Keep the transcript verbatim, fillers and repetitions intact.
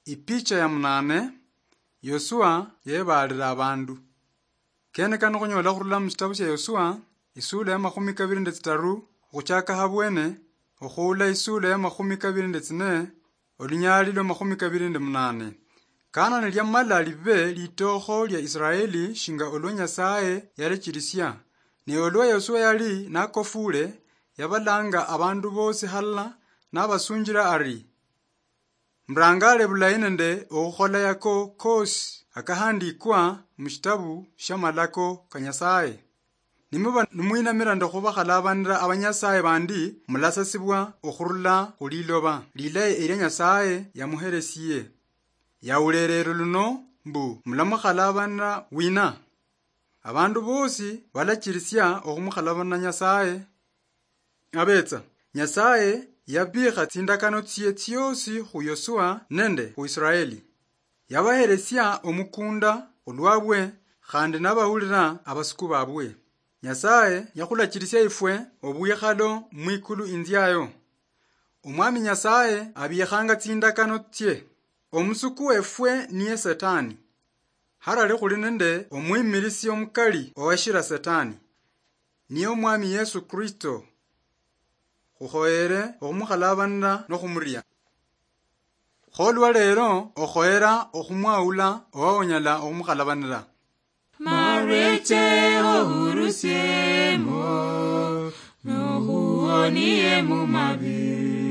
Ipicha ya munane. Yosua yebaalira abandu. Kene kano khunyola khurula mu shitabu shia Yosua, isula ya makhumi kabiri nende tsitaru, okhuchaka habwene, okhuula isula ya makhumi kabiri nende tsine, olunyali lwa makhumi kabiri nende munane. Kana niliamala libe litookho lia Israeli shinga olwa Nyasaye yalechirisia, ne olwa Yosua yali nakofuule, yabalanga abandu bosi halala, nabasunjira ari, murangaale bulayi nende okhukhola yako koosi akahandikwa mushitabu shia malako ka Nyasaye. Nimuba nimwinamira nende khubakhalabanira abanyasaye bandi, mulasasibwa okhurula khuliloba lilayi elia Nyasaye yamuheresie. Yawulelelo luno mbu mulamukhalabana wina? Abandu bosi balachirisia okhumukhalabana Nyasaye. Abetsa, Nyasaye yabikha tsindakano tsie tsiosi khu Yosua nende khu Israeli. Yabaheresia omukunda olwabwe, khandi nabawulira abasuku babwe. Nyasaye yakhulachirisia ifwe obwikhalo mwikulu inziayo. Omwami Nyasaye abikhanga tsindakano tsie. Omusuku wefwe niye Setani. Harali khuli nende omwimirisi omukali owashira Setani, niye Omwami Yesu Kristo. Khukhoyere okhumukhalabanira nokhumuria. Kholwa lero okhoyera okhumwawula owa onyala okhumukhalabanira. Mareche ohurusiemo, nohuonie mu mabi.